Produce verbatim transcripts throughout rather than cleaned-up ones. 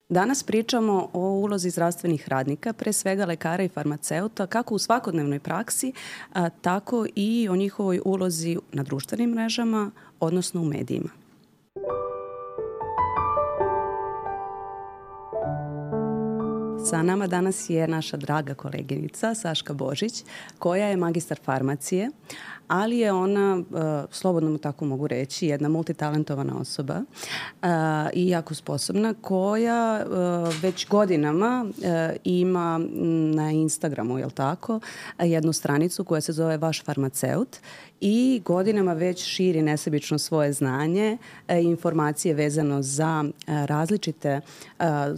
Danas pričamo o ulozi zdravstvenih radnika, pre svega lekara i farmaceuta, kako u svakodnevnoj praksi, a, tako i o njihovoj ulozi na društvenim mrežama, odnosno u medijima. Sa nama danas je naša draga koleginica Saška Božić, koja je magistar farmacije, ali je ona, slobodno mu tako mogu reći, jedna multitalentovana osoba i jako sposobna, koja već godinama ima na Instagramu, jel tako, jednu stranicu koja se zove Vaš farmaceut i godinama već širi nesebično svoje znanje i informacije vezano za različite,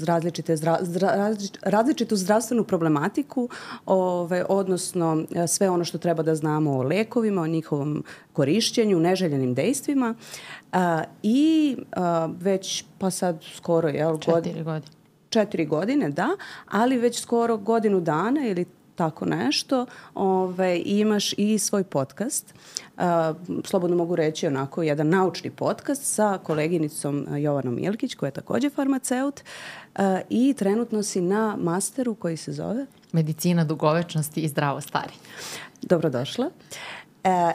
različite zdra, zdra, različitu zdravstvenu problematiku, ove, odnosno sve ono što treba da znamo o lekovima, o njihovom korišćenju, neželjenim dejstvima a, i a, već pa sad skoro jel, četiri godine. Četiri godine, da, ali već skoro godinu dana ili tako nešto, ove, imaš i svoj podcast. Uh, slobodno mogu reći onako jedan naučni podcast sa koleginicom Jovanom Ilkić, koja je takođe farmaceut uh, i trenutno si na masteru koji se zove Medicina dugovečnosti i zdravo stari. Dobrodošla.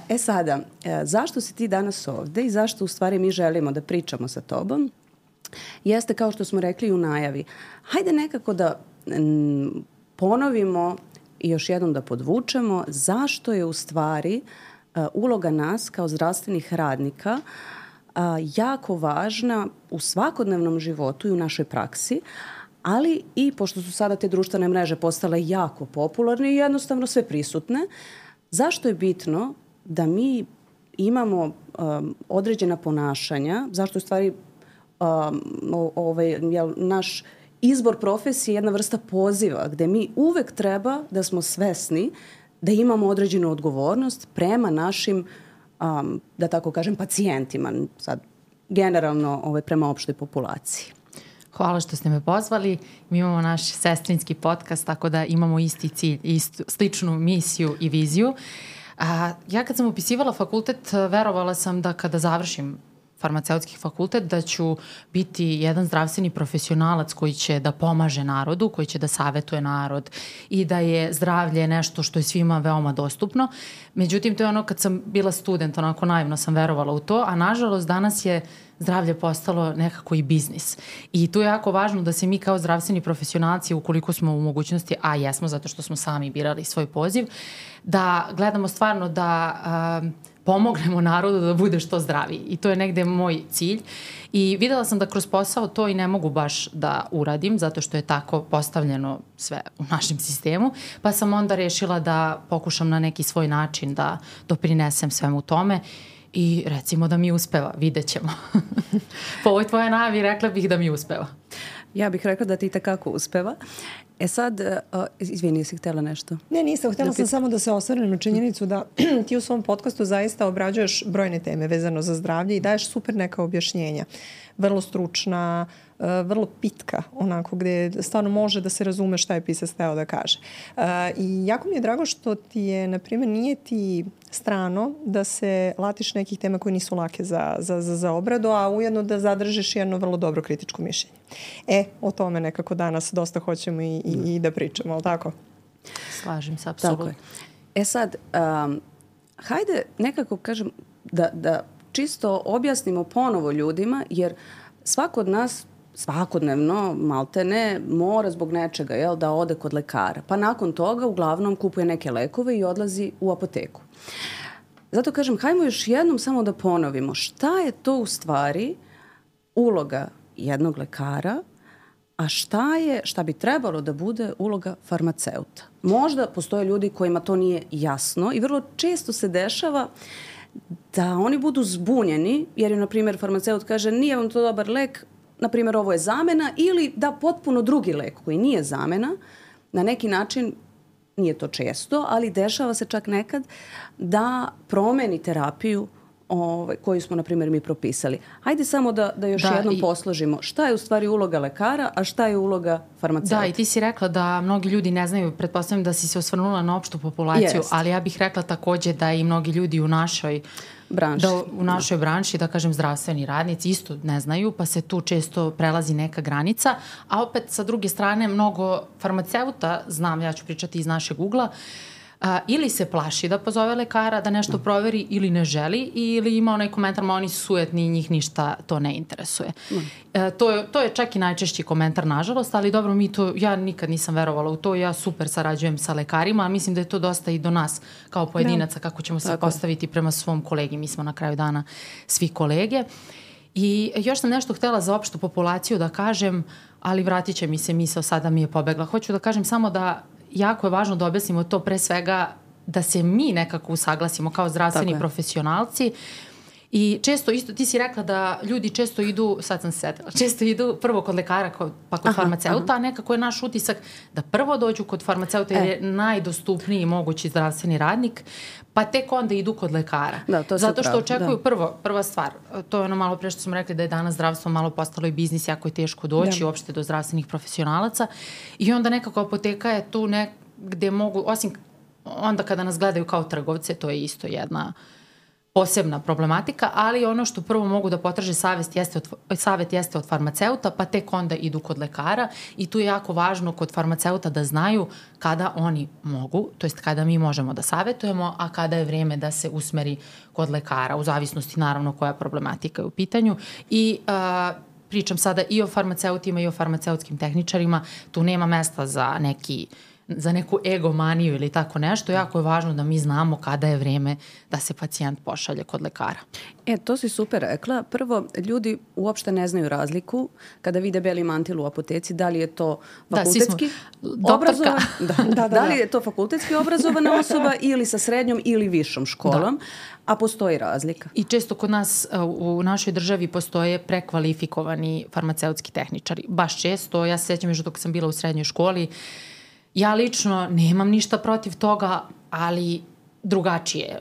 E sada, zašto si ti danas ovde i zašto u stvari mi želimo da pričamo sa tobom? Jeste, kao što smo rekli u najavi, hajde nekako da m, ponovimo i još jednom da podvučemo zašto je u stvari uh, uloga nas kao zdravstvenih radnika uh, jako važna u svakodnevnom životu i u našoj praksi, ali i pošto su sada te društvene mreže postale jako popularne i jednostavno sve prisutne, zašto je bitno da mi imamo um, određena ponašanja, zašto je u stvari um, ovaj, jel, naš izbor profesije je jedna vrsta poziva gde mi uvek treba da smo svesni da imamo određenu odgovornost prema našim, um, da tako kažem, pacijentima, sad generalno ovaj, prema opštoj populaciji. Hvala što ste me pozvali. Mi imamo naš sestrinski podcast, tako da imamo isti cilj, istu, sličnu misiju i viziju. A, ja kad sam upisivala fakultet, verovala sam da kada završim farmaceutski fakultet, da ću biti jedan zdravstveni profesionalac koji će da pomaže narodu, koji će da savetuje narod i da je zdravlje nešto što je svima veoma dostupno. Međutim, to je ono kad sam bila student, onako naivno sam verovala u to, a nažalost danas je zdravlje postalo nekako i biznis. I tu je jako važno da se mi kao zdravstveni profesionalci, ukoliko smo u mogućnosti, a jesmo zato što smo sami birali svoj poziv, da gledamo stvarno da uh, pomognemo narodu da bude što zdraviji. I to je negde moj cilj. I videla sam da kroz posao to i ne mogu baš da uradim, zato što je tako postavljeno sve u našem sistemu. Pa sam onda rešila da pokušam na neki svoj način da doprinesem svemu tome. I recimo da mi uspeva, vidjet ćemo. Po ovoj tvoje najavi rekla bih da mi uspeva. Ja bih rekla da ti takako uspeva. E sad, uh, izvini, jesi htjela nešto? Ne, nisam. Htjela sam samo da se osvrnem na činjenicu da ti u svom podcastu zaista obrađuješ brojne teme vezano za zdravlje i daješ super neka objašnjenja. Vrlo stručna, uh, vrlo pitka, onako gde stvarno može da se razume šta je pisac hteo da kaže. Uh, I jako mi je drago što ti je, na primjer, nije ti strano da se latiš nekih tema koje nisu lake za, za, za, za obradu, a ujedno da zadržiš jedno vrlo dobro kritičko mišljenje. E, o tome nekako danas dosta hoćemo i, i, i da pričamo, ali tako? Slažem se, apsolutno. E sad, um, hajde nekako kažem da, da čisto objasnimo ponovo ljudima, jer svako od nas svakodnevno, maltene, mora zbog nečega, jel, da ode kod lekara. Pa nakon toga uglavnom kupuje neke lekove i odlazi u apoteku. Zato kažem, hajmo još jednom samo da ponovimo šta je to u stvari uloga jednog lekara, a šta je, šta bi trebalo da bude uloga farmaceuta. Možda postoje ljudi kojima to nije jasno i vrlo često se dešava da oni budu zbunjeni, jer je, na primjer, farmaceut kaže nije vam to dobar lek, na primjer, ovo je zamena, ili da potpuno drugi lek koji nije zamena, na neki način, nije to često, ali dešava se čak nekad da promeni terapiju ovaj, koju smo, na primjer, mi propisali. Hajde samo da, da još Da, jednom i- posložimo šta je u stvari uloga lekara, a šta je uloga farmaceuta. Da, i ti si rekla da mnogi ljudi ne znaju, pretpostavljam da si se osvrnula na opštu populaciju, Jest. ali ja bih rekla takođe da i mnogi ljudi u našoj Branši. Da, u našoj branši, da kažem zdravstveni radnici isto ne znaju, pa se tu često prelazi neka granica, a opet sa druge strane mnogo farmaceuta, znam, ja ću pričati iz našeg ugla, a, ili se plaši da pozove lekara da nešto proveri ili ne želi, ili ima onaj komentar, ma oni su sujetni i njih ništa to ne interesuje. E, to, je, to je čak i najčešći komentar, nažalost, ali dobro, mi to, ja nikad nisam verovala u to, ja super sarađujem sa lekarima, ali mislim da je to dosta i do nas kao pojedinaca, kako ćemo se Tako je. postaviti prema svom kolegi. Mi smo na kraju dana svi kolege. I još sam nešto htela za opštu populaciju da kažem, ali vratit će mi se misao, sada mi je pobegla. Hoću da kažem samo da jako je važno da objasnimo to pre svega da se mi nekako usaglasimo kao zdravstveni Tako je. profesionalci. I često isto, ti si rekla da ljudi često idu, sad sam se setila, često idu prvo kod lekara kod, pa kod Aha, farmaceuta, aha. a nekako je naš utisak da prvo dođu kod farmaceuta jer E. je najdostupniji mogući zdravstveni radnik, pa tek onda idu kod lekara. Da, to si Zato što upravo, očekuju da. prvo, prva stvar, to je ono malo pre što smo rekli da je danas zdravstvo malo postalo i biznis, jako je teško doći Da. uopšte do zdravstvenih profesionalaca i onda nekako apoteka je tu ne, gde mogu, osim onda kada nas gledaju kao trgovce, to je isto jedna posebna problematika, ali ono što prvo mogu da potraže savjet jeste od, savjet jeste od farmaceuta, pa tek onda idu kod lekara i tu je jako važno kod farmaceuta da znaju kada oni mogu, to jest kada mi možemo da savjetujemo, a kada je vreme da se usmeri kod lekara, u zavisnosti naravno koja problematika je u pitanju. I a, pričam sada i o farmaceutima i o farmaceutskim tehničarima, tu nema mesta za neki za neku egomaniju ili tako nešto, jako je važno da mi znamo kada je vreme da se pacijent pošalje kod lekara. E, to si super rekla. Prvo, ljudi uopšte ne znaju razliku kada vide beli mantil u apoteci, da li je to Da, svi smo- fakultetski doktorka. obrazovan, da, Da, da, da li da. je to fakultetski obrazovana osoba ili sa srednjom ili višom školom, a postoji razlika. I često kod nas uh, u našoj državi postoje prekvalifikovani farmaceutski tehničari. Baš često, ja se sjećam još dok sam bila u srednjoj školi, ja lično nemam ništa protiv toga, ali drugačije,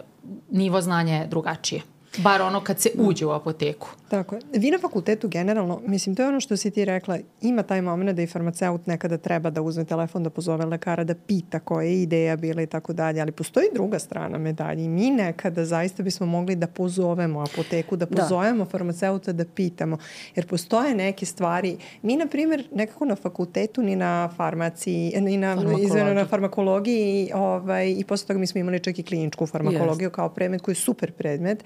nivo znanja je drugačije. Bar ono kad se uđe u apoteku. Tako je. Vi na fakultetu generalno, mislim, to je ono što si ti rekla, ima taj moment da i farmaceut nekada treba da uzme telefon, da pozove lekara, da pita koja je ideja bila i tako dalje, ali postoji druga strana medalje i mi nekada zaista bismo mogli da pozovemo apoteku, da pozovemo farmaceuta da pitamo, jer postoje neke stvari. Mi, na primjer, nekako na fakultetu, ni na farmaciji, ni na, izveno, na farmakologiji ovaj, i posle toga mi smo imali čak i kliničku farmakologiju Yes. kao predmet koji je super predmet,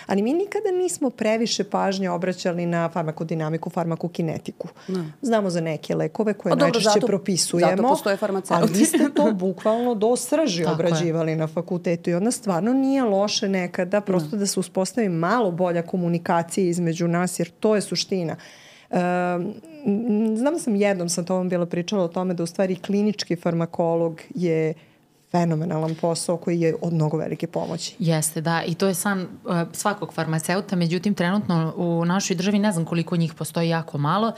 ali mi nikada nismo previše pažnje obraćali na farmakodinamiku, farmakokinetiku. No. Znamo za neke lekove koje A dobro, najčešće zato- propisujemo. zato postoje farmaceuti. Ali vi ste to bukvalno do srži Tako je. obrađivali na fakultetu i onda stvarno nije loše nekada prosto da se uspostavi malo bolja komunikacija između nas, jer to je suština. Um, znam da sam jednom sa tobom bila pričala o tome da u stvari klinički farmakolog je fenomenalan posao koji je od mnogo velike pomoći. Jeste, da. I to je san uh, svakog farmaceuta. Međutim, trenutno u našoj državi ne znam koliko njih postoji, jako malo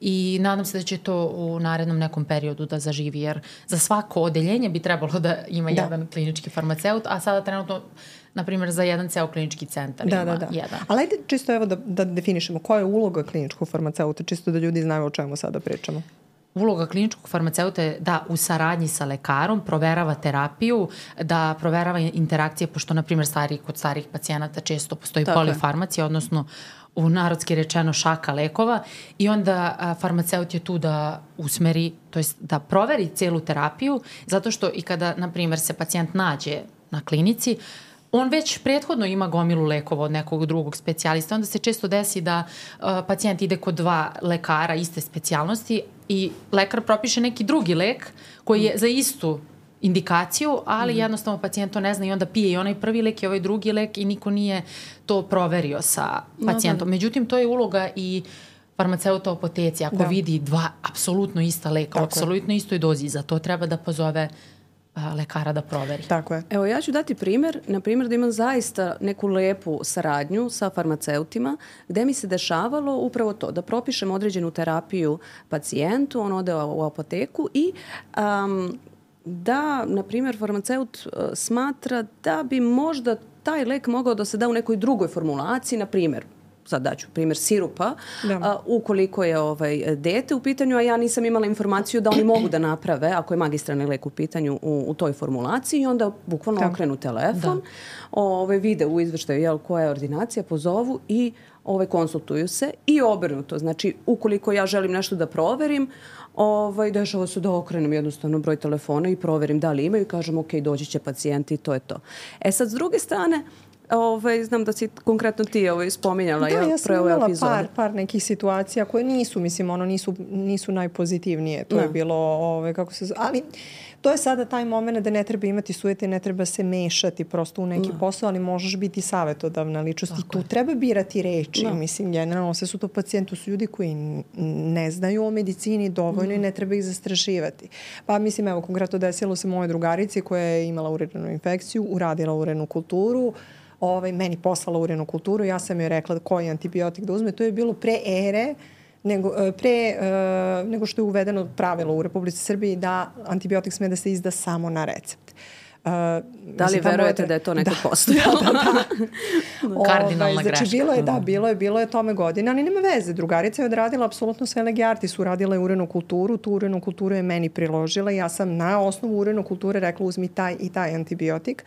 i nadam se da će to u narednom nekom periodu da zaživi, jer za svako odeljenje bi trebalo da ima Da. jedan klinički farmaceut, a sada trenutno, na primjer, za jedan ceo klinički centar Da, ima da, da. jedan. Ali ajde čisto evo da, da definišemo koja je uloga kliničkog farmaceuta, čisto da ljudi znaju o čemu sada pričamo. Uloga kliničkog farmaceuta je da u saradnji sa lekarom proverava terapiju, da proverava interakcije, pošto, na primjer, stari, kod starih pacijenata često postoji Tako je. polifarmacija, odnosno u narodski rečeno šaka lekova i onda a, farmaceut je tu da usmeri, to jest da proveri celu terapiju, zato što i kada, na primjer, se pacijent nađe na klinici, on već prethodno ima gomilu lekova od nekog drugog specijalista, onda se često desi da uh, pacijent ide kod dva lekara iste specijalnosti i lekar propiše neki drugi lek koji je za istu indikaciju, ali mm. jednostavno pacijent to ne zna i onda pije i onaj prvi lek i ovaj drugi lek i niko nije to proverio sa pacijentom. No, Međutim, to je uloga i farmaceuta u apoteci. Ako Da. vidi dva apsolutno ista leka, u apsolutno istoj dozi, za to treba da pozove a, lekara da proveri. Tako je. Evo, ja ću dati primjer, na primjer da imam zaista neku lepu saradnju sa farmaceutima, gde mi se dešavalo upravo to, da propišem određenu terapiju pacijentu, on ode u apoteku i um, da, na primjer, farmaceut uh, smatra da bi možda taj lek mogao da se da u nekoj drugoj formulaciji, na primjer, sad daću primjer sirupa, a, ukoliko je ovaj, dete u pitanju, a ja nisam imala informaciju da oni mogu da naprave, ako je magistralni lek u pitanju u, u toj formulaciji, i onda bukvalno da. okrenu telefon, ovaj, vide u izveštaju jel, koja je ordinacija, pozovu i ovaj, konsultuju se i obrnuto. Znači, ukoliko ja želim nešto da proverim, ovaj, dešava se da okrenem jednostavno broj telefona i proverim da li imaju i kažem ok, doći će pacijenti i to je to. E sad, s druge strane, Ovaj, znam da si konkretno ti ovaj, spominjala. Da, ja sam imala par, par nekih situacija koje nisu, mislim, ono, nisu, nisu najpozitivnije. To ne. je bilo, ovaj, kako se zove, ali to je sada taj moment da ne treba imati sujete, ne treba se mešati prosto u neki ne. posao, ali možeš biti savjetodavna ličnost. Tako I tu je. treba birati reči. Ne. Mislim, generalno sve su to pacijenti, su ljudi koji ne znaju o medicini dovoljno ne. i ne treba ih zastrašivati. Pa mislim, evo, konkretno desilo se moje drugarici koja je imala urinarnu infekciju, uradila urinarnu kulturu, Ovaj, meni poslala urinarnu kulturu, ja sam joj rekla koji antibiotik da uzme. To je bilo pre ere, nego, pre, uh, nego što je uvedeno pravilo u Republici Srbiji da antibiotik sme da se izda samo na recept. Uh, da li verujete da je to neko da, postojalo? Da, da, da. Kardinalna Ove, greška. Znači, bilo je, da, bilo je, bilo je tome godine, ali nema veze. Drugarica je odradila apsolutno sve lege artis, uradila je urinarnu kulturu, tu urinarnu kulturu je meni priložila i ja sam na osnovu urinarne kulture rekla uzmi taj i taj antibiotik.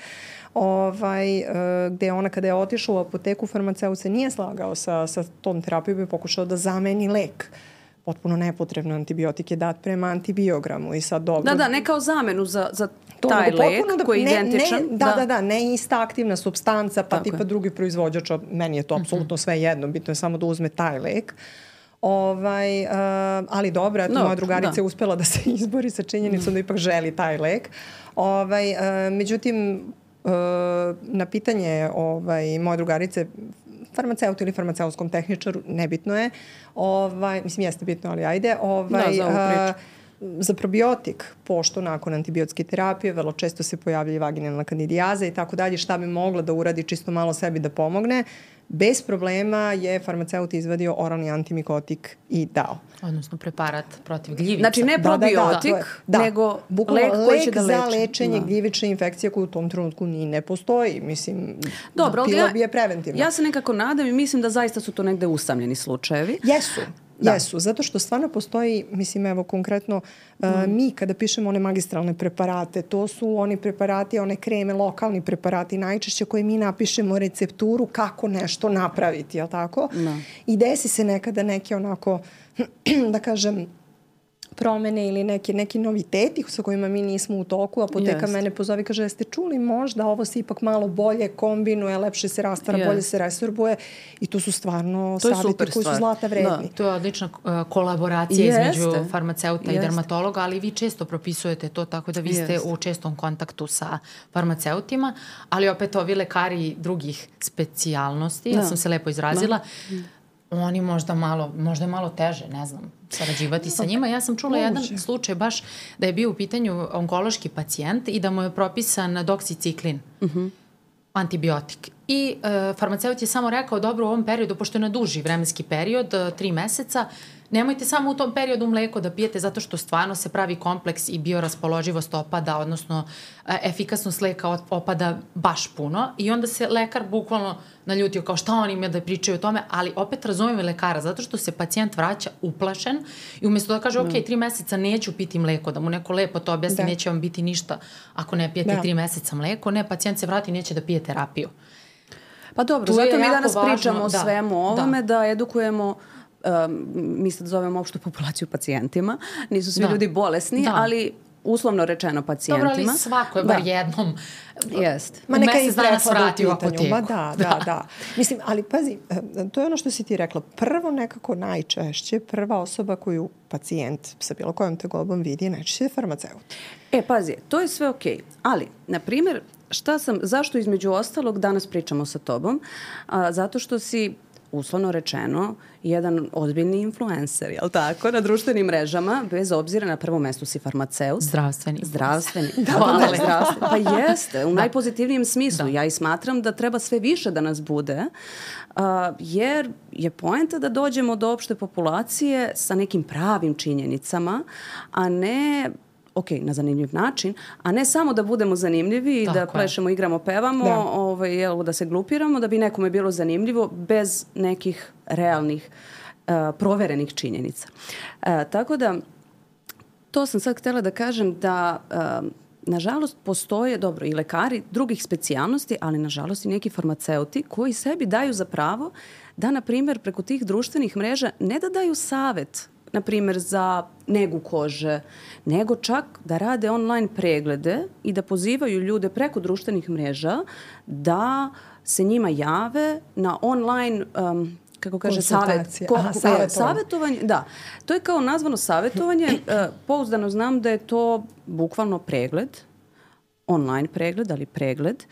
Ovaj, gde ona kada je otišla u apoteku, farmaceut se nije slagao sa, sa tom terapijom i pokušao da zameni lek. Potpuno nepotrebno antibiotik je dat prema antibiogramu i sad dobro. Da, da, ne kao zamenu za, za taj lek da, koji je ne, identičan. Ne, da, da, da, da, ne ista aktivna supstanca, pa Tako tipa je. drugi proizvođač, meni je to apsolutno mm-hmm. sve jedno, bitno je samo da uzme taj lek. Ovaj, uh, ali dobro, eto, no, moja drugarica da. je uspela da se izbori sa činjenicom mm. da ipak želi taj lek. Ovaj, uh, međutim, uh, na pitanje ovaj, moje drugarice, farmaceutu ili farmaceutskom tehničaru, nebitno je. Ovaj, mislim, jeste bitno, ali ajde. Ovaj, da, za, uh, za probiotik, pošto nakon antibiotske terapije vrlo često se pojavlja vaginalna kandidijaza i tako dalje, šta bi mogla da uradi čisto malo sebi da pomogne, bez problema je farmaceut izvadio oralni antimikotik i dao. Odnosno preparat protiv gljivica. Znači ne probiotik, da, da, da. nego Bukvalno lek koji će da leči. Lek za lečenje da. gljivične infekcije koji u tom trenutku ni ne postoji. Mislim, Dobro, pila bi je preventivno. Ja se nekako nadam i mislim da zaista su to negde usamljeni slučajevi. Jesu. Da. Jesu, zato što stvarno postoji, mislim, evo konkretno, mm. uh, mi kada pišemo one magistralne preparate, to su oni preparati, one kreme, lokalni preparati najčešće koje mi napišemo recepturu kako nešto napraviti, jel tako? Da. I desi se nekada neke onako, da kažem, promene ili neki, neki noviteti sa kojima mi nismo u toku. Apoteka Jest. mene pozove i kaže, jeste čuli možda ovo se ipak malo bolje kombinuje, lepše se rastara, Jest. bolje se resorbuje i to su stvarno savjeti koji su zlata vredni. Da. To je odlična uh, kolaboracija Jeste. između farmaceuta Jeste. i dermatologa, ali vi često propisujete to tako da vi ste Jeste. u čestom kontaktu sa farmaceutima, ali opet ovi lekari drugih specijalnosti, da. ja sam se lepo izrazila, da. oni možda malo, možda je malo teže, ne znam, sarađivati sa njima. Ja sam čula Moguće. jedan slučaj baš da je bio u pitanju onkološki pacijent i da mu je propisan doksiciklin, uh-huh. antibiotik. I e, farmaceut je samo rekao, dobro, u ovom periodu, pošto je na duži vremenski period, tri meseca, nemojte samo u tom periodu mleko da pijete zato što stvarno se pravi kompleks i bioraspoloživost opada, odnosno e, efikasnost leka opada baš puno i onda se lekar bukvalno naljutio kao šta oni imaju da pričaju o tome, ali opet razumijem lekara zato što se pacijent vraća uplašen i umjesto da kaže, ok, tri meseca neću piti mleko, da mu neko lepo to objasni, da. neće vam biti ništa ako ne pijete da. tri meseca mleko, ne, pacijent se vrati i neće da pije terapiju. Pa dobro, tu zato mi danas važno, pričamo o da, svemu ovome, da, da edukujemo, um, mi sad zovemo opštu populaciju pacijentima, nisu svi da. ljudi bolesni, da. ali uslovno rečeno pacijentima. Dobro, ali svako je bar da. jednom Jest. u mesec dana se vrati u apoteku. Ma da, da, da, da. Mislim, ali pazi, to je ono što si ti rekla. Prvo nekako najčešće, prva osoba koju pacijent sa bilo kojom tegobom vidi, najčešće je farmaceut. E, pazi, to je sve okej, okay. ali, na primjer, šta sam, zašto između ostalog danas pričamo sa tobom? A, zato što si, uslovno rečeno, jedan ozbiljni influencer, jel tako, na društvenim mrežama, bez obzira na prvom mestu si farmaceut. Zdravstveni. Zdravstveni. Da, da, zdravstveni. Pa jeste, u da. najpozitivnijem smislu. Da. Ja i smatram da treba sve više da nas bude, uh, jer je poenta da dođemo do opšte populacije sa nekim pravim činjenicama, a ne ok, na zanimljiv način, a ne samo da budemo zanimljivi i da plešemo, igramo, pevamo, da. Ovaj, jel, da se glupiramo, da bi nekome bilo zanimljivo bez nekih realnih, uh, proverenih činjenica. Uh, tako da, to sam sad htjela da kažem da uh, nažalost postoje, dobro, i lekari drugih specijalnosti, ali nažalost i neki farmaceuti koji sebi daju za pravo da, na primjer, preko tih društvenih mreža ne da daju savet, na primjer, za negu kože, nego čak da rade online preglede i da pozivaju ljude preko društvenih mreža da se njima jave na online um, kako kaže, savjet, ko, Aha, savjetovanje. savjetovanje. Da, to je kao nazvano savjetovanje. E, pouzdano znam da je to bukvalno pregled, online pregled, ali pregled,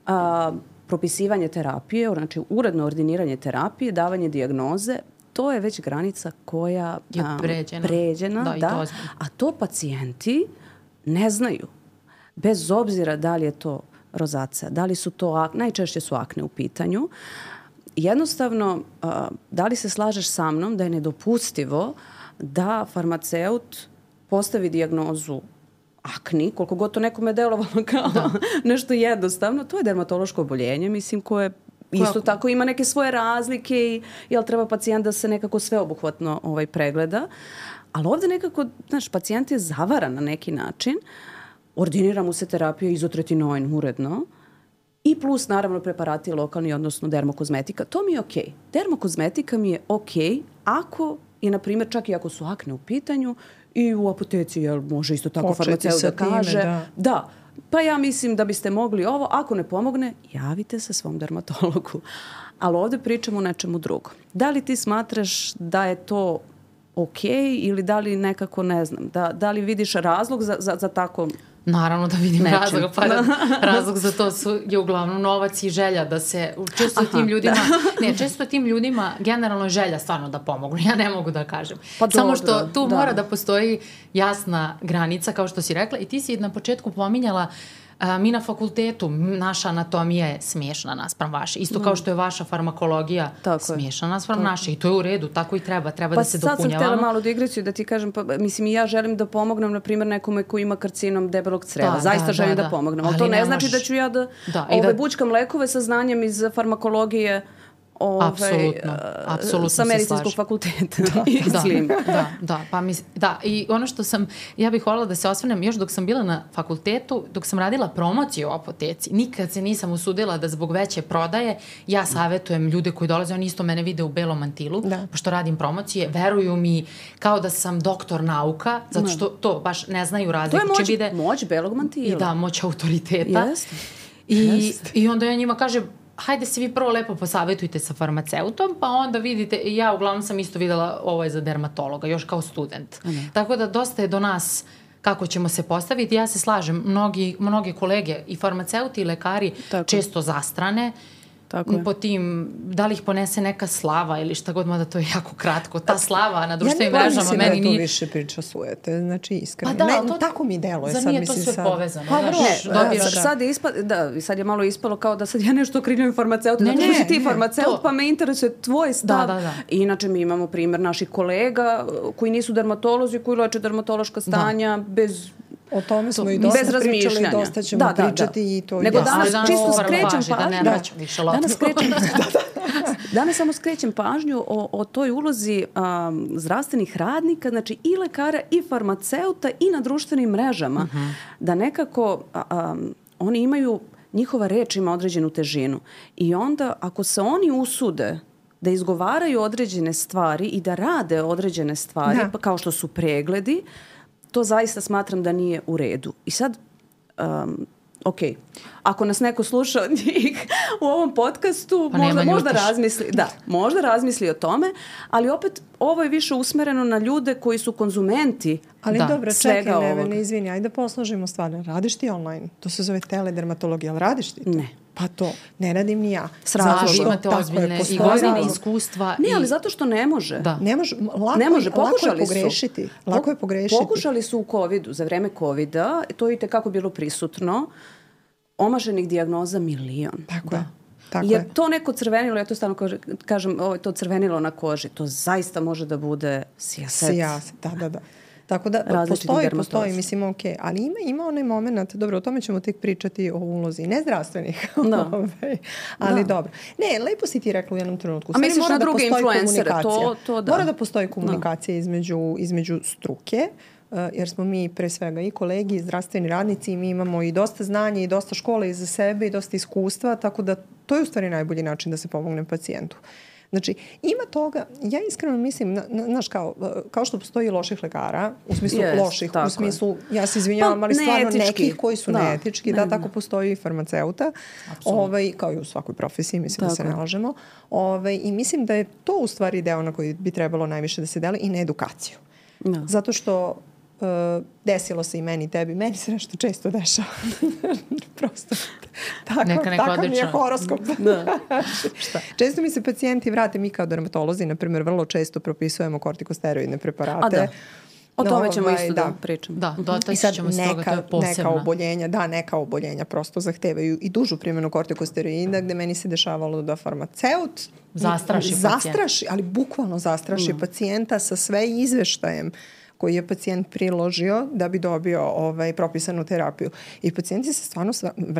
a, propisivanje terapije, znači uredno ordiniranje terapije, davanje dijagnoze, to je već granica koja je pređena, pređena da, da, to a to pacijenti ne znaju. Bez obzira da li je to rozacija, da li su to, najčešće su akne u pitanju. Jednostavno, da li se slažeš sa mnom da je nedopustivo da farmaceut postavi dijagnozu akni, koliko god to nekome delovalo kao da. nešto jednostavno, to je dermatološko oboljenje, mislim, koje isto tako ima neke svoje razlike i jel treba pacijent da se nekako sveobuhvatno ovaj, pregleda. Ali ovdje nekako, znaš, pacijent je zavaran na neki način, ordinira mu se terapija izotretinoin uredno, i plus, naravno, preparati lokalni, odnosno dermokozmetika. To mi je okej. Okay. Dermokozmetika mi je okej okay ako je, na primjer, čak i ako su akne u pitanju i u apoteci, jel, može isto tako farmaceut da kaže. Da. da. Pa ja mislim da biste mogli ovo. Ako ne pomogne, javite se svom dermatologu. Ali ovdje pričamo o nečemu drugom. Da li ti smatraš da je to okej okay, ili da li nekako, ne znam, da, da li vidiš razlog za, za, za tako... Naravno da vidim Nečim. razlog, pa razlog za to su, je uglavnom novac i želja da se često Aha, tim ljudima, da. ne, često tim ljudima generalno je želja stvarno da pomognu, ja ne mogu da kažem. Pa Samo što tu da. mora da postoji jasna granica, kao što si rekla, i ti si na početku pominjala a, mi na fakultetu, naša anatomija je smiješna naspram vaše. Isto mm. kao što je vaša farmakologija tako smiješna naspram tako. naše. I to je u redu, tako i treba. Treba pa da se dopunjavamo. Pa sad sam htjela malu digresiju da ti kažem, pa, mislim i ja želim da pomognem, na primjer, nekome koji ima karcinom debelog creva. Da, Zaista da, želim da, da, da pomognem. Ali, Ali to ne, ne znači da ću ja da, da, ove, da bučkam lekove sa znanjem iz farmakologije Ove, apsolutno, apsolutno sa medicinskog fakulteta. Da, da, da, da, pa mis, da, i ono što sam, ja bih voljela da se osvrnem, još dok sam bila na fakultetu, dok sam radila promociju u apoteci, nikad se nisam usudila da zbog veće prodaje, ja savjetujem ljude koji dolaze, oni isto mene vide u belom mantilu, da. pošto radim promocije, veruju mi kao da sam doktor nauka, zato što to baš ne znaju razliku. To je moć, vide, moć belog mantila. I da, moć autoriteta. Jeste. I, Jeste. I onda ja njima kažem, hajde se vi prvo lepo posavetujte sa farmaceutom, pa onda vidite, ja uglavnom sam isto videla ovo je za dermatologa, još kao student. Mm. Tako da dosta je do nas kako ćemo se postaviti. Ja se slažem, mnogi, mnogi kolege i farmaceuti i lekari Tako. često zastrane Tako po tim, da li ih ponese neka slava ili šta god, mada to je jako kratko. Ta slava na društvenim ja mrežama meni nije... Ja ne više priča sujete, znači iskreno. Pa da, ne, to, tako mi deluje. Sad nije to sve sad... povezano. Pa vrlo, ne, dobiješ, da, da. Sad, je ispa, da, sad je malo ispalo kao da sad ja nešto kriljujem farmaceuta. Ne, ne, ti farmaceut, pa me interesuje tvoj stav. Da, da, da. Inače mi imamo primjer naših kolega koji nisu dermatolozi, koji leče dermatološka stanja da. bez... O tome smo i dosta pričali i dosta ćemo da, da, pričati da. i to Nego je danas da. čisto skrećem pažnju. Da, danas skrećem Danas samo skrećem pažnju o, o toj ulozi um, zdravstvenih radnika, znači i lekara i farmaceuta i na društvenim mrežama. Uh-huh. Da nekako um, oni imaju, njihova reč ima određenu težinu. I onda ako se oni usude da izgovaraju određene stvari i da rade određene stvari, pa kao što su pregledi, to zaista smatram da nije u redu. I sad, um, ok, ako nas neko sluša od njih u ovom podcastu, pa možda, možda razmisli, da, možda razmisli o tome, ali opet ovo je više usmereno na ljude koji su konzumenti. Ali da, dobro, čekaj, Nevene, izvini, ajde da posložimo stvari. Radiš ti online? To se zove teledermatologija, ali radiš ti to? Ne. Pa to, ne radim ni ja. Zato što imate ozbiljne i godine iskustva. Ne, ali zato što ne može. Da. Ne može, lako, ne može. Lako je pogrešiti. Su. Lako je pogrešiti. Pokušali su u covidu, za vreme covida, to je kako bilo prisutno, omaženih dijagnoza milion. Tako da. je. Tako je to neko crvenilo, ja to stalno kažem, ovo je to crvenilo na koži. To zaista može da bude sijaset. Sijaset, da, da, da. Tako da postoji, postoji, mislim, ok, ali ima, ima onaj moment, dobro, o tome ćemo tek pričati o ulozi nezdravstvenih, da. ali da. dobro. Ne, lepo si ti rekla u jednom trenutku. A misliš na da druge influencere, to, to da. Mora da postoji komunikacija da. između, između struke, jer smo mi pre svega i kolegi, i zdravstveni radnici i mi imamo i dosta znanja i dosta škole iza sebe i dosta iskustva, tako da to je u stvari najbolji način da se pomogne pacijentu. Znači, ima toga, ja iskreno mislim, znaš, kao, kao što postoji loših lekara, u smislu yes, loših, u smislu, ja se izvinjavam, pa, ali stvarno neetički. Nekih koji su da, neetički, ne, da, tako postoji i farmaceuta, ovaj, kao i u svakoj profesiji, mislim tako. Da se ne lažemo. Ovaj, I mislim da je to u stvari deo na koji bi trebalo najviše da se deli i na edukaciju. No. Zato što Uh, desilo se i meni i tebi. Meni se nešto često dešava. Prosto. Tako, neka, neka takav mi je horoskop. Da. Šta? Često mi se pacijenti vrate, mi kao dermatolozi, na primjer, vrlo često propisujemo kortikosteroidne preparate. A da. O tome ćemo no, isto da, da pričamo. Da, dotaći ćemo s toga, to je posebno. Neka oboljenja, da, neka oboljenja prosto zahtevaju i dužu primjenu kortikosteroida, gde meni se dešavalo da farmaceut zastraši, zastraši ali bukvalno zastraši mm. pacijenta sa sve izveštajem koji je pacijent priložio da bi dobio ovaj, propisanu terapiju. I pacijenti se stvarno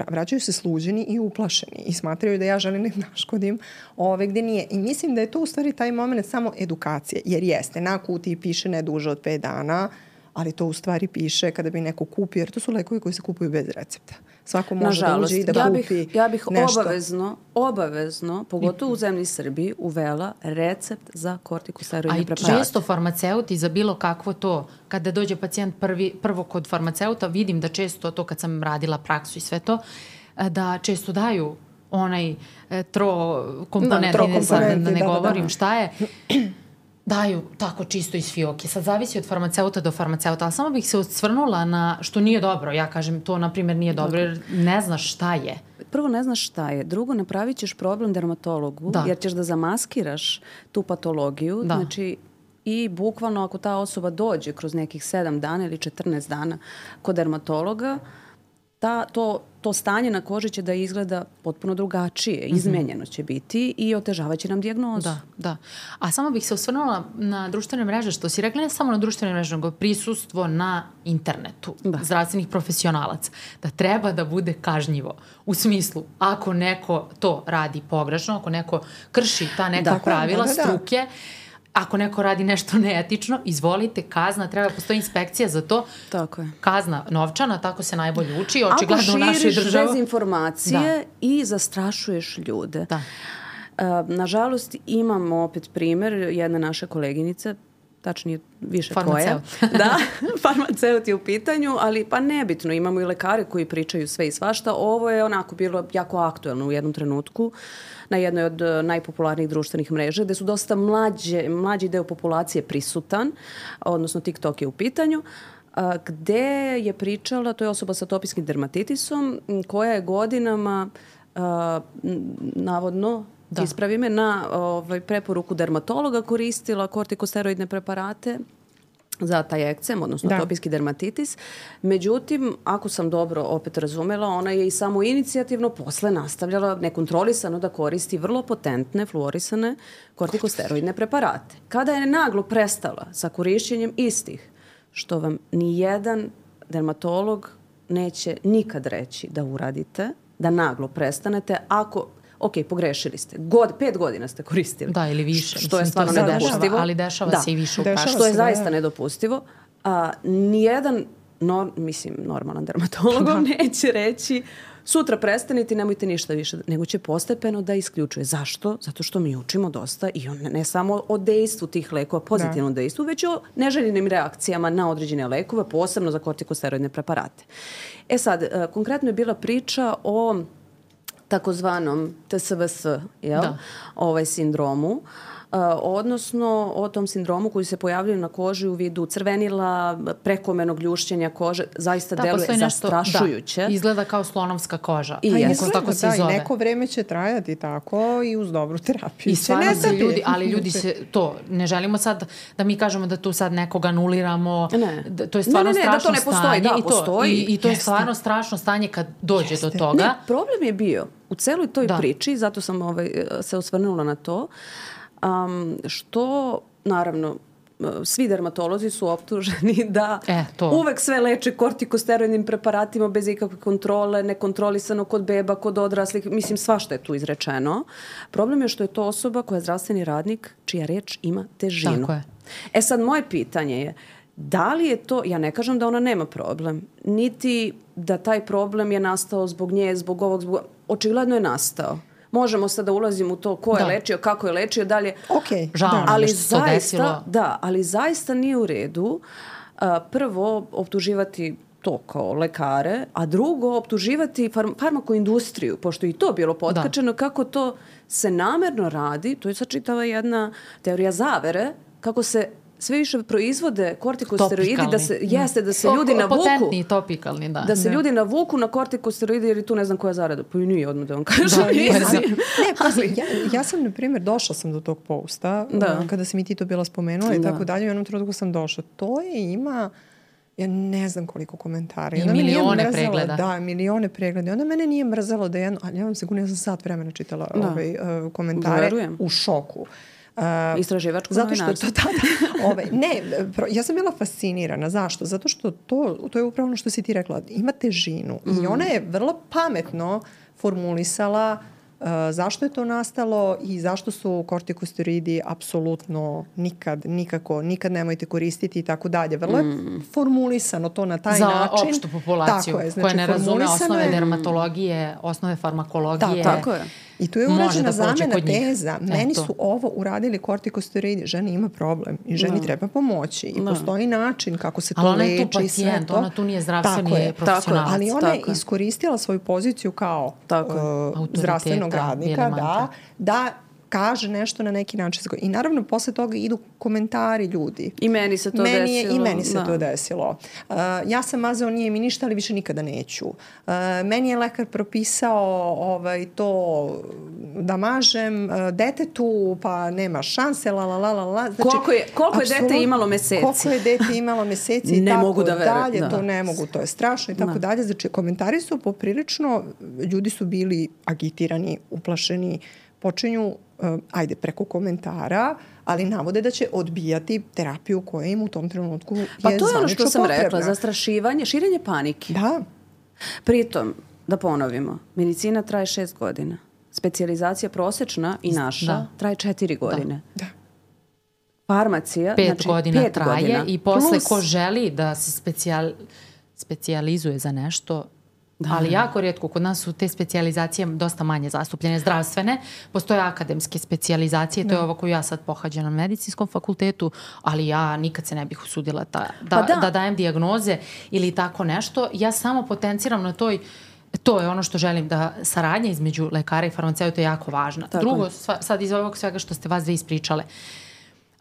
vraćaju se sluđeni i uplašeni i smatraju da ja želim da naškodim ove, gde nije. I mislim da je to u stvari taj moment samo edukacije. Jer jeste, na kutiji piše ne duže od pet dana, ali to u stvari piše kada bi neko kupio, jer to su lekovi koji se kupuju bez recepta. Svako može nažalost, da uđe i da ja kupi bih, ja bih nešto. obavezno, obavezno, pogotovo u zemlji Srbiji, uvela recept za kortikosteroidne preparate. A i često farmaceuti za bilo kakvo to, kada dođe pacijent prvi, prvo kod farmaceuta, vidim da često to kad sam radila praksu i sve to, da često daju onaj trokomponentni, da, sad da ne da, govorim da, da. šta je, daju tako čisto iz fioke. Sad zavisi od farmaceuta do farmaceuta, ali samo bih se osvrnula na što nije dobro. Ja kažem, to na primjer nije dobro jer ne znaš šta je. Prvo ne znaš šta je. Drugo, napravit ćeš problem dermatologu da. jer ćeš da zamaskiraš tu patologiju. Da. Znači, i bukvalno ako ta osoba dođe kroz nekih sedam dana ili četrnaest dana kod dermatologa, ta, to, to stanje na koži će da izgleda potpuno drugačije, mm-hmm. izmenjeno će biti i otežavaće nam dijagnozu. Da, da. A samo bih se osvrnula na društvene mreže, što si rekla, ne samo na društvene mreže, nego prisustvo na internetu da. zdravstvenih profesionalaca, da treba da bude kažnjivo. U smislu, ako neko to radi pogrešno, ako neko krši ta neka da, pravila, da, da, da. struke, ako neko radi nešto neetično, izvolite, kazna, treba postoji inspekcija za to. Tako je. Kazna novčana, tako se najbolje uči, očigledno u našoj državi. Ako širiš dezinformacije da. i zastrašuješ ljude. Da. Uh, nažalost, imamo opet primer jedne naše koleginice, tačnije više tvoje. Da, farmaceut je u pitanju, ali pa nebitno, imamo i lekare koji pričaju sve i svašta. Ovo je onako bilo jako aktuelno u jednom trenutku na jednoj od najpopularnijih društvenih mreža, gde su dosta mlađe, mlađi deo populacije prisutan, odnosno TikTok je u pitanju, a, gde je pričala, to je osoba sa atopijskim dermatitisom, koja je godinama a, navodno Da. ispravi me, na ovaj, preporuku dermatologa koristila kortikosteroidne preparate za taj ekcem, odnosno da. atopijski dermatitis. Međutim, ako sam dobro opet razumela, ona je i samo inicijativno posle nastavljala nekontrolisano da koristi vrlo potentne fluorisane kortikosteroidne preparate. Kada je naglo prestala sa korišćenjem istih, što vam ni jedan dermatolog neće nikad reći da uradite, da naglo prestanete, ako ok, pogrešili ste. God, pet godina ste koristili. Da, ili više. Što je stvarno nedopustivo. Dešava, ali dešava da. se i više u praksi. Što je zaista nedopustivo. A, nijedan, nor, mislim, normalan dermatolog da. neće reći sutra prestanite i nemojte ništa više, nego će postepeno da isključuje. Zašto? Zato što mi učimo dosta i on, ne samo o dejstvu tih lekova, pozitivnom da. dejstvu, već o neželjenim reakcijama na određene lekove, posebno za kortikosteroidne preparate. E sad, konkretno je bila priča o takozvanom T S V S, jel? Da. Ovaj sindromu, uh, odnosno o tom sindromu koji se pojavljaju na koži u vidu crvenila, prekomernog ljušćenja kože, zaista da, deluje zastrašujuće. Da, izgleda kao slonovska koža. I izgleda, tako se da, zove. I neko vreme će trajati tako i uz dobru terapiju. I stvarno se ljudi, ali ljudi se to, ne želimo sad da mi kažemo da tu sad nekoga anuliramo. Ne. Da, to je stvarno ne, ne, ne, strašno da to ne postoji, stanje. Da, i, to, postoji. I, i to je stvarno strašno stanje kad dođe Jeste. do toga. Ne, problem je bio u celoj toj da. priči, zato sam ovaj, se osvrnula na to, um, što naravno svi dermatolozi su optuženi da e, to. uvek sve leče kortikosteroidnim preparatima bez ikakve kontrole, nekontrolisano kod beba, kod odraslih, mislim svašta je tu izrečeno. Problem je što je to osoba koja je zdravstveni radnik čija reč ima težinu. Tako je. E sad moje pitanje je, da li je to, ja ne kažem da ona nema problem, niti da taj problem je nastao zbog nje, zbog ovog, zbog... očigledno je nastao. Možemo sad da ulazimo u to ko je da. lečio, kako je lečio, dalje. Okay, žao da. nam ali što se to desilo. Da, ali zaista nije u redu uh, prvo optuživati to kao lekare, a drugo optuživati farm- farmakoindustriju, pošto i to bilo potkačeno, da. kako to se namerno radi, to je sad čitava jedna teorija zavere, kako se sve više proizvode kortikosteroidi, da se, jeste da se ljudi navuku. Potentni, topikalni, da. Da se da. ljudi navuku na kortikosteroidi jer tu ne znam koja zarada. Pa i nije odmah da vam kažem. Da, ne, ne, pa, ja, ja sam, na primjer, došla sam do tog posta, da. kada si mi ti to bila spomenula i da. tako dalje, u jednom trenutku sam došla. To je ima, ja ne znam koliko komentara. I milione pregleda. Da, milione pregleda. Onda mene nije mrzelo da jedno, ali ja vam sigurno, ja sam sat vremena čitala da. ovaj, uh, komentare. Verujem. U šoku. Uh, Istraživačko zato što novinarstvo. to tada, ovaj, ne, pro, ja sam bila fascinirana. Zašto? Zato što to, to je upravo ono što si ti rekla. Ima težinu. Mm. I ona je vrlo pametno formulisala uh, zašto je to nastalo i zašto su kortikosteroidi apsolutno nikad, nikako, nikad nemojte koristiti i tako dalje. Vrlo je mm. formulisano to na taj za način. Za opštu populaciju tako je, znači, koja ne razume osnove je, dermatologije, osnove farmakologije. Da, tako je. I tu je urađena da zamena teza. Meni Eto. su ovo uradili kortikosteroidi. Ženi ima problem i ženi no. treba pomoći. I no. postoji način kako se to leči. Ali ona je tu pacijent, ona tu nije zdravstveni profesionalac. Ali ona je iskoristila svoju poziciju kao uh, zdravstvenog radnika da, da kaže nešto na neki način. I naravno, posle toga idu komentari ljudi. I meni se to meni desilo. Je, I meni se da. to desilo. Uh, ja sam mazao, nije mi ništa, ali više nikada neću. Uh, meni je lekar propisao ovaj, to da mažem uh, detetu, pa nema šanse, la, la, la, la, la. Znači, koliko je, koliko je dete imalo meseci? Koliko je dete imalo meseci i ne tako mogu da verujem, dalje. Da. To ne mogu, to je strašno i tako da. dalje. Znači, komentari su poprilično, ljudi su bili agitirani, uplašeni, počinju Uh, ajde, preko komentara, ali navode da će odbijati terapiju koja im u tom trenutku je zvanično potrebna. Pa to je ono što sam potrebna. rekla, zastrašivanje, širenje panike. Da. Pritom, da ponovimo, medicina traje šest godina. Specijalizacija prosečna i naša da. traje četiri godine. Da. Farmacija, pet znači godina pet traje godina. I posle Plus, ko želi da se specijal, specijalizuje za nešto, da. ali jako rijetko, kod nas su te specijalizacije dosta manje zastupljene, zdravstvene, postoje akademske specijalizacije, to da. je ovo koju ja sad pohađam na medicinskom fakultetu, ali ja nikad se ne bih usudila ta, da, pa da. da dajem dijagnoze ili tako nešto. Ja samo potenciram na toj, to je ono što želim, da saradnja između lekara i farmaceuta je jako važna. Tako Drugo, sva, sad iz ovog svega što ste vas dve ispričale,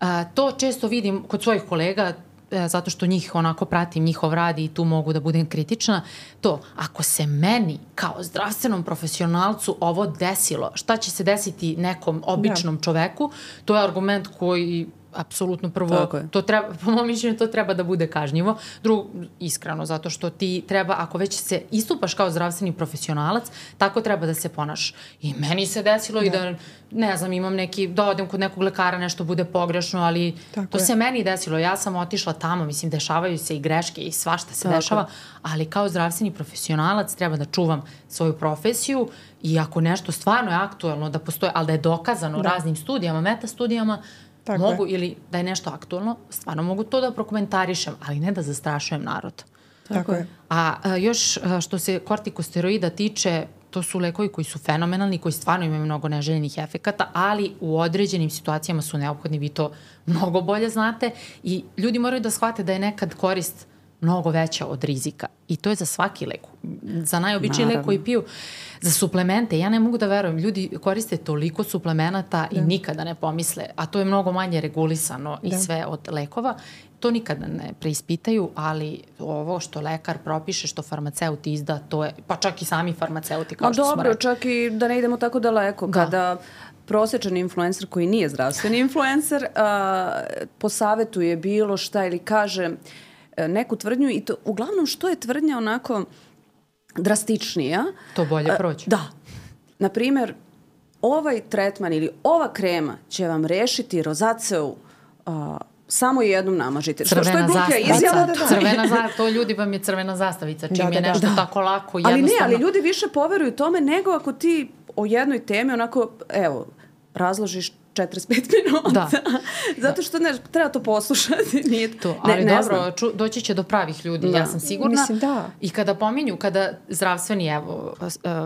a, to često vidim kod svojih kolega, zato što njih onako pratim, njihov rad i tu mogu da budem kritična, to, ako se meni kao zdravstvenom profesionalcu ovo desilo, šta će se desiti nekom običnom da. čoveku, to je argument koji apsolutno prvo, to treba, po mom mišljenju to treba da bude kažnjivo. Drugo, iskreno, zato što ti treba, ako već se istupaš kao zdravstveni profesionalac, tako treba da se ponaš. I meni se desilo da. i da, ne znam, imam neki, da odem kod nekog lekara, nešto bude pogrešno, ali tako to je. se meni desilo. Ja sam otišla tamo, mislim, dešavaju se i greške i svašta se tako. dešava, ali kao zdravstveni profesionalac treba da čuvam svoju profesiju i ako nešto stvarno je aktuelno da postoje, ali da je dokazano da. raznim studijama, meta studijama, Tako mogu, je. ili da je nešto aktualno, stvarno mogu to da prokomentarišem, ali ne da zastrašujem narod. Tako je. A, a još a, što se kortikosteroida tiče, to su lekovi koji su fenomenalni, koji stvarno imaju mnogo neželjenih efekata, ali u određenim situacijama su neophodni, vi to mnogo bolje znate i ljudi moraju da shvate da je nekad korist mnogo veća od rizika. I to je za svaki lek. Za najobičniji lek koji piju, za suplemente. Ja ne mogu da verujem. Ljudi koriste toliko suplemenata da. i nikada ne pomisle. A to je mnogo manje regulisano da. i sve od lekova. To nikada ne preispitaju, ali ovo što lekar propiše, što farmaceut izda, to je, pa čak i sami farmaceuti, kao A što dobro, smo rekli. čak i da ne idemo tako daleko. Da. Kada prosječan influencer koji nije zdravstveni influencer a, posavetuje bilo šta ili kaže neku tvrdnju i to uglavnom što je tvrdnja onako drastičnija. To bolje proći. Da. Naprimjer, ovaj tretman ili ova krema će vam rešiti rozaceu uh, samo jednom namažite. Crvena što, što je gluplja zastavica. izjava. Da, da, da. Crvena za, to ljudi vam je crvena zastavica, čim Da, da, je da. nešto Da. tako lako, Ali jednostavno. ne, ali ljudi više poveruju tome nego ako ti o jednoj temi onako, evo, razložiš četrdeset pet minuta. Da. Zato što ne, treba to poslušati. Nije, To, ne, ali ne dobro, znam. ču, doći će do pravih ljudi, Da. ja sam sigurna. Mislim, da. I kada pominju, kada zdravstveni, evo,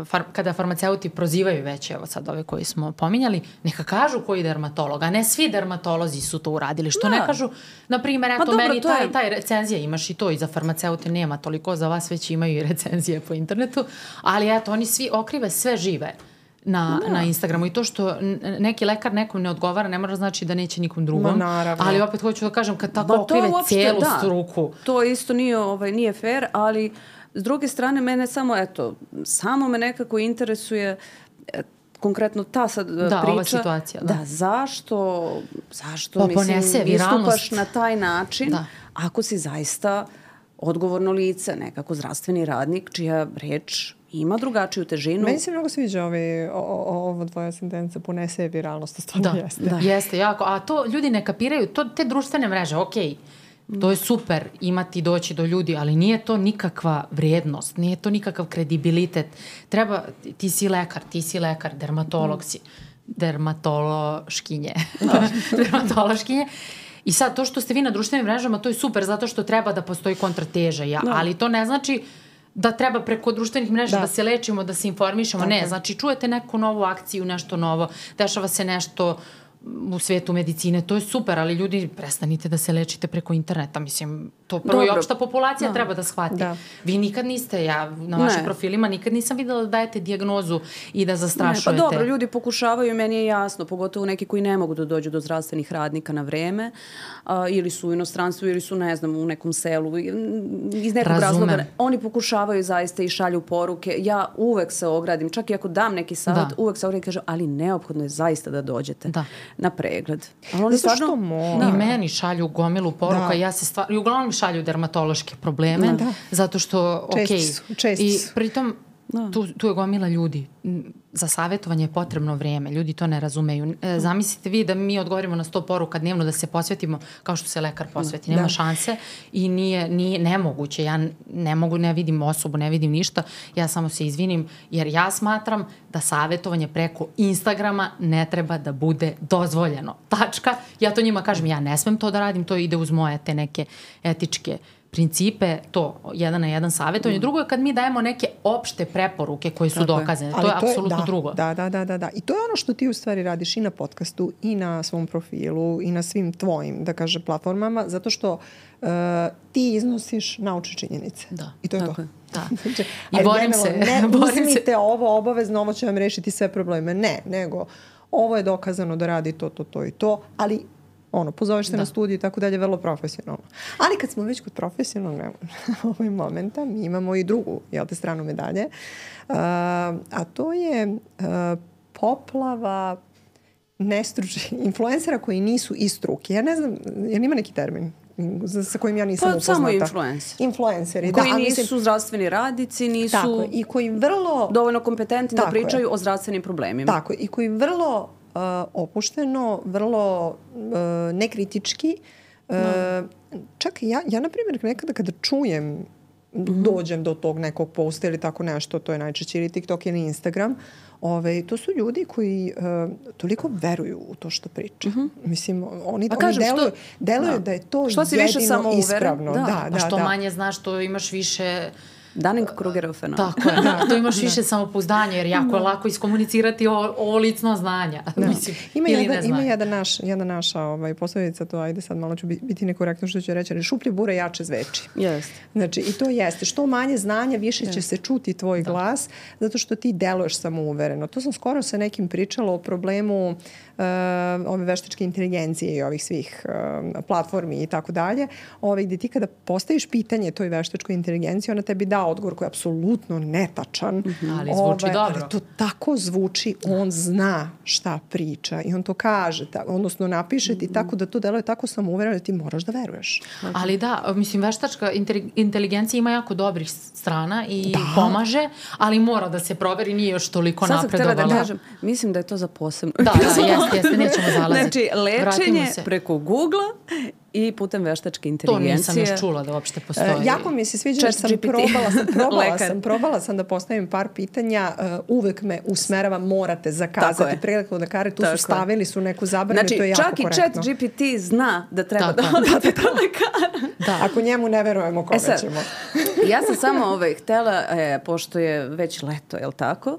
far, kada farmaceuti prozivaju već, evo sad ove koji smo pominjali, neka kažu koji dermatolog, a ne svi dermatolozi su to uradili. Što Da. ne kažu, na primjer, eto, dobro, meni to taj, je- taj recenzija, imaš i to, i za farmaceute nema toliko, za vas već imaju i recenzije po internetu, ali eto, oni svi okrive sve žive na, na Instagramu i to što n- neki lekar nekom ne odgovara ne mora znači da neće nikom drugom. Ma, naravno. Ali opet hoću da kažem kad tako Ma, to okrive uopšte, cijelu da. struku. To isto nije, ovaj, nije fair, ali s druge strane mene samo, eto, samo me nekako interesuje e, konkretno ta sad e, Da, priča. ova situacija, da. Da, zašto, zašto Pa mislim, ponese viralnost. istupaš na taj način Da. ako si zaista odgovorno lice, nekako zdravstveni radnik čija reč ima drugačiju težinu. Meni se mnogo sviđa ovaj, o, o, ovo tvoja sentenca, ponese viralnost, to stvarno Da, jeste. da, jeste jako. A to ljudi ne kapiraju, to, te društvene mreže, okej, to je super imati doći do ljudi, ali nije to nikakva vrijednost, nije to nikakav kredibilitet. Treba, ti si lekar, ti si lekar, dermatolog si, dermatološkinje. dermatološkinje. I sad, to što ste vi na društvenim mrežama, to je super, zato što treba da postoji kontrateža. Ja, ali to ne znači da treba preko društvenih mreža da, Da. se lečimo, da se informišemo. Tako ne, je. znači čujete neku novu akciju, nešto novo, dešava se nešto u svetu medicine, to je super, ali ljudi, prestanite da se lečite preko interneta. Mislim, to prvo i Dobro. opšta populacija treba da shvati. Da. Vi nikad niste, ja na vašim Ne. profilima nikad nisam videla da dajete dijagnozu i da Ne, zastrašujete. pa dobro, ljudi pokušavaju, meni je jasno, pogotovo neki koji ne mogu da dođu do zdravstvenih radnika na vreme, a, ili su u inostranstvu, ili su, ne znam, u nekom selu, i- iz nekog Razumem. razloga. Oni pokušavaju zaista i šalju poruke. Ja uvek se ogradim, čak i ako dam neki savjet, Da. uvek se ogradim i kažem, ali neophodno je zaista da dođete Da. na pregled. Ali oni Zato što stvarno... mora. I meni šalju gomilu poruka Da. i ja se stvar, i uglavnom mi šalju dermatološke probleme, Da. zato što, Česti okej, su, česti i su. pritom tu, tu je gomila ljudi. M, Za savjetovanje je potrebno vrijeme, ljudi to ne razumeju. E, zamislite vi da mi odgovorimo na sto poruka dnevno, da se posvetimo kao što se lekar posveti. Nema Da. šanse i nije, nije nemoguće. Ja ne mogu, ne vidim osobu, ne vidim ništa. Ja samo se izvinim jer ja smatram da savjetovanje preko Instagrama ne treba da bude dozvoljeno. Tačka. Ja to njima kažem, ja ne smem to da radim, to ide uz moje te neke etičke principe, to jedan na jedan savjetovanje. Drugo je kad mi dajemo neke opšte preporuke koje su Tako je. dokazane. To Ali je apsolutno da, drugo. Da, da, da, da, da. I to je ono što ti u stvari radiš i na podcastu i na svom profilu i na svim tvojim, da kaže, platformama, zato što uh, ti iznosiš naučne činjenice. Da. I to je Tako to. je. Da. Znači, I ali borim generalno, se. Ne borim se. uzmite ovo obavezno, ovo će vam rešiti sve probleme. Ne, nego ovo je dokazano da radi to, to, to i to, ali ono, pozoveš se Da. na studiju i tako dalje, vrlo profesionalno. Ali kad smo već kod profesionalnog ovaj momenta, mi imamo i drugu, jel te, stranu medalje, uh, a to je uh, poplava nestručnih influencera koji nisu iz struke. Ja ne znam, jer ima neki termin za- sa kojim ja nisam Pa upoznata. samo influenceri. Influenceri, Koji da. a nisu mislim- zdravstveni radnici, nisu Tako je, i koji vrlo... dovoljno kompetentni da Tako je. pričaju o zdravstvenim problemima. Tako je, i koji vrlo uh, opušteno, vrlo uh, nekritički, uh, čak ja, ja na primjer nekada kada čujem, dođem do tog nekog posta ili tako nešto, to je najčešće ili TikTok ili Instagram, ove, to su ljudi koji uh, toliko veruju u to što priča. Mislim, oni, Pa oni kažem, deluju, što- deluju da. da je to Što si više jedino samouveren, ispravno. da. Da, da, Pa što da. manje znaš, to imaš više... Dunning-Krugerov fenomen. Tako je, da. To imaš više samopouzdanja, jer jako je lako iskomunicirati o, ovo licno znanja. Mislim, Ima ili jedan, ne ima znanja. jedan naš, jedna naša ovaj, poslovica, to ajde sad malo ću bi- biti nekorektno što ću reći, ali šuplje bure jače zveči. Jeste. Znači, i to jeste. Što manje znanja, više će se čuti tvoj glas, zato što ti deluješ samouvereno. To sam skoro sa nekim pričala o problemu uh, ove veštačke inteligencije i ovih svih uh, platformi i tako dalje, ove, gdje ti kada postaviš pitanje toj veštačkoj inteligenciji, ona tebi da odgovor koji je apsolutno netačan. Ali zvuči dobro. Ali to tako zvuči, on zna šta priča i on to kaže, ta, odnosno napiše ti tako da to deluje tako samouvereno da ti moraš da veruješ. Ali da, mislim, veštačka inteli- inteligencija ima jako dobrih strana i pomaže, ali mora da se proveri, nije još toliko Sad sam htjela napredovala. da kažem, mislim da je to za posebno. Da, da, jeste, jeste, nećemo zalaziti. Znači, Vratimo lečenje se. preko Google-a i putem veštačke inteligencije. To nisam još čula da uopšte postoji. Uh, jako mi se sviđa, jer sam probala, sam, probala, sam, probala sam da postavim par pitanja, uh, uvek me usmerava, morate zakazati pregled kod lekara, tu Tako su stavili su neku zabranu, znači, to je jako čak korektno. Znači, čak i G P T zna da treba Tako. da odete do lekara. Da. Ako njemu ne verujemo, kome e sad, ćemo? Ja sam samo ovaj, htela, e, pošto je već leto, je li tako?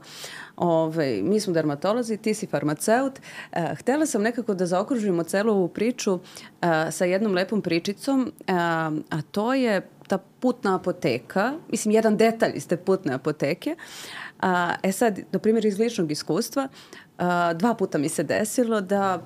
Ove, mi smo dermatolozi, ti si farmaceut. E, htela sam nekako da zaokružimo celu ovu priču e, sa jednom lepom pričicom, e, a to je ta putna apoteka, mislim jedan detalj iz te putne apoteke. A, e sad, na primjer iz ličnog iskustva, a, dva puta mi se desilo da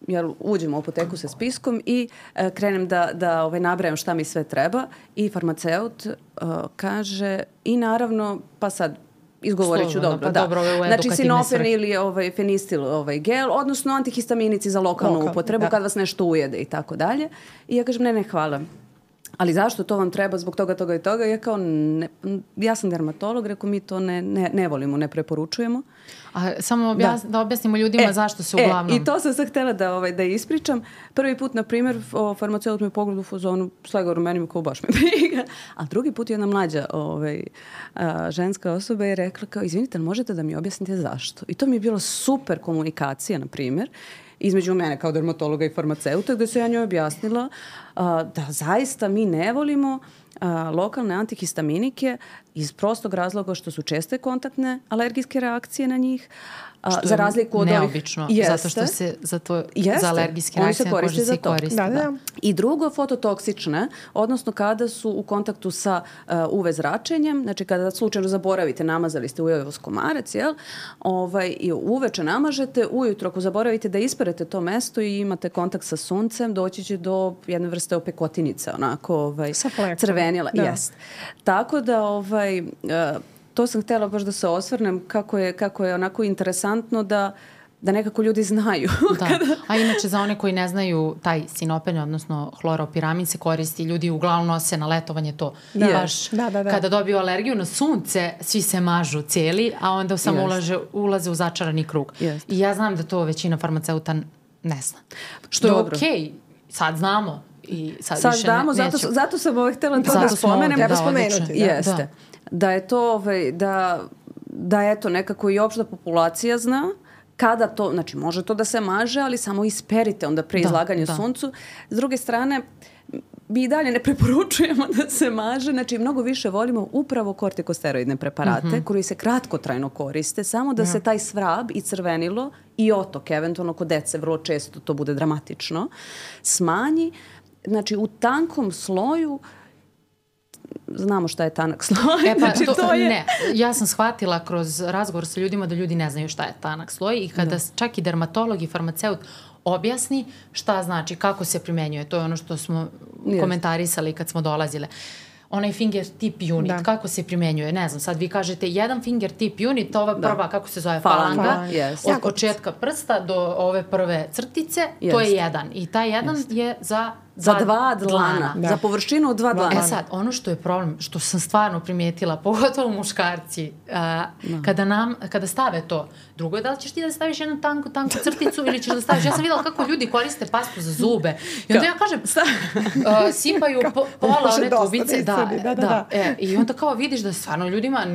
jel, uđem u apoteku sa spiskom i a, krenem da, da ovaj, nabrajam šta mi sve treba i farmaceut a, kaže i naravno, pa sad izgovorit ću dobro, pa da. dobro, znači sinopen ili ovaj, fenistil ovaj, gel, odnosno antihistaminici za lokalnu Lokal, upotrebu da. kad vas nešto ujede i tako dalje. I ja kažem ne, ne, hvala. Ali zašto to vam treba zbog toga, toga i toga? Ja kao, ne, ja sam dermatolog, rekao mi to ne, ne, ne volimo, ne preporučujemo. A samo objas, da. da objasnimo ljudima e, zašto se uglavnom... E, i to sam sad htjela da, ovaj, da ispričam. Prvi put, na primjer, farmaceut me pogleda u fazonu, slegaru meni kao baš me briga. A drugi put jedna mlađa ovaj, a, ženska osoba je rekla kao, izvinite, možete da mi objasnite zašto? I to mi je bilo super komunikacija, na primjer, između mene kao dermatologa i farmaceuta, gde se ja njoj objasnila a, da zaista mi ne volimo a, lokalne antihistaminike iz prostog razloga što su česte kontaktne alergijske reakcije na njih. A, što za razliku od neobično, ovih... zato što se za, to, za alergijske reakcije na koži se koriste. Da, da. Da. I drugo, fototoksične, odnosno kada su u kontaktu sa uh, U V zračenjem, znači kada slučajno zaboravite, namazali ste ujeo komarac, jel? Ovaj, i uveče namažete, ujutro ako zaboravite da isperete to mesto i imate kontakt sa suncem, doći će do jedne vrste opekotinice, onako ovaj, crvenila. Da. Jest. Tako da ovaj, uh, to sam htjela baš da se osvrnem kako je, kako je onako interesantno da, da nekako ljudi znaju. Da. A inače za one koji ne znaju, taj sinopen, odnosno hloropiramin se koristi, ljudi uglavnom nose na letovanje to. Da. Baš Da, da, da. kada dobiju alergiju na sunce, svi se mažu cijeli, a onda samo yes. ulaže, ulaze u začarani krug. Yes. I ja znam da to većina farmaceuta ne zna. Što je okej, okay. Sad znamo. I sad sad više damo, ne, zato, zato sam ovaj htjela to da spomenem. Treba spomenuti. Da, jeste. Da. Da je to, ovaj, da, da eto nekako i opšta populacija zna kada to, znači može to da se maže, ali samo isperite onda pre izlaganja da, suncu. S druge strane, mi i dalje ne preporučujemo da se maže, znači mnogo više volimo upravo kortikosteroidne preparate mm-hmm. koji se kratkotrajno koriste, samo da ja. se taj svrab i crvenilo i otok, eventualno kod dece vrlo često to bude dramatično, smanji. Znači u tankom sloju znamo šta je tanak sloj. E pa, znači, to, to je... ne, ja sam shvatila kroz razgovor sa ljudima da ljudi ne znaju šta je tanak sloj i kada da. čak i dermatolog i farmaceut objasni šta znači, kako se primenjuje. To je ono što smo yes. komentarisali kad smo dolazile. Onaj finger tip unit, da. kako se primenjuje, ne znam, sad vi kažete jedan finger tip unit, ova prva, da. kako se zove, falanga, falanga yes. od početka prsta do ove prve crtice, yes. to je jedan. I taj jedan yes. je za Za dva dlana. Da. Za površinu od dva dlana. E sad, ono što je problem, što sam stvarno primijetila, pogotovo muškarci, a, no. kada, nam, kada stave to, drugo je da li ćeš ti da staviš jednu tanku, tanku crticu ili ćeš da staviš, ja sam vidjela kako ljudi koriste pastu za zube. I onda ja kažem, uh, sipaju po, pola one tubice. Da, da, da. da. da. E, I onda kao vidiš da stvarno ljudima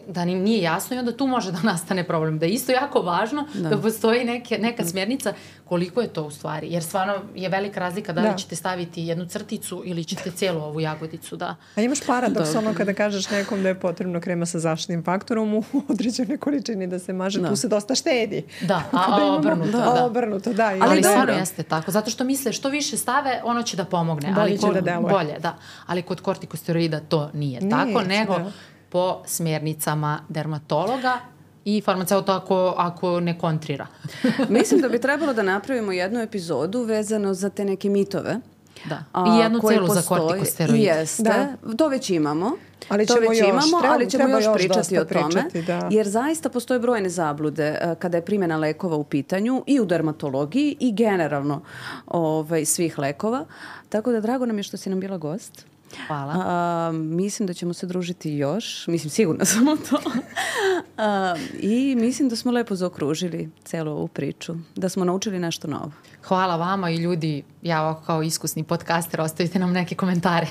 da im nije jasno i onda tu može da nastane problem. Da je isto jako važno da, da postoji neke, neka smjernica koliko je to u stvari. Jer stvarno je velika razlika da li da. ćete staviti jednu crticu ili ćete cijelu ovu jagodicu. Da. A imaš paradoks ono kada kažeš nekom da je potrebno krema sa zaštitnim faktorom u određenoj količini da se maže, da. tu se dosta štedi. Da, a, a obrnuto. Da, a obrnuto, da. Ali, ali stvarno jeste tako. Zato što misle što više stave, ono će da pomogne. Bolje ali će da deluje. Bolje, da. Ali kod kortikosteroida to nije, nije tako, nego da. po smjernicama dermatologa i farmaceuta ako, ako ne kontrira. Mislim da bi trebalo da napravimo jednu epizodu vezano za te neke mitove. Da. I jednu celu za kortikosteroid. Jeste. Da. To već imamo. Ali to ćemo već još, imamo, treba, ali ćemo još, još pričati o tome. Pričati, da. Jer zaista postoje brojne zablude uh, kada je primjena lekova u pitanju i u dermatologiji i generalno ovaj, svih lekova. Tako da drago nam je što si nam bila gost. Hvala. A, mislim da ćemo se družiti još. Mislim, sigurno sam u to. A, I mislim da smo lepo zaokružili celu ovu priču. Da smo naučili nešto novo. Hvala vama i ljudi, ja ovako kao iskusni podcaster, ostavite nam neke komentare.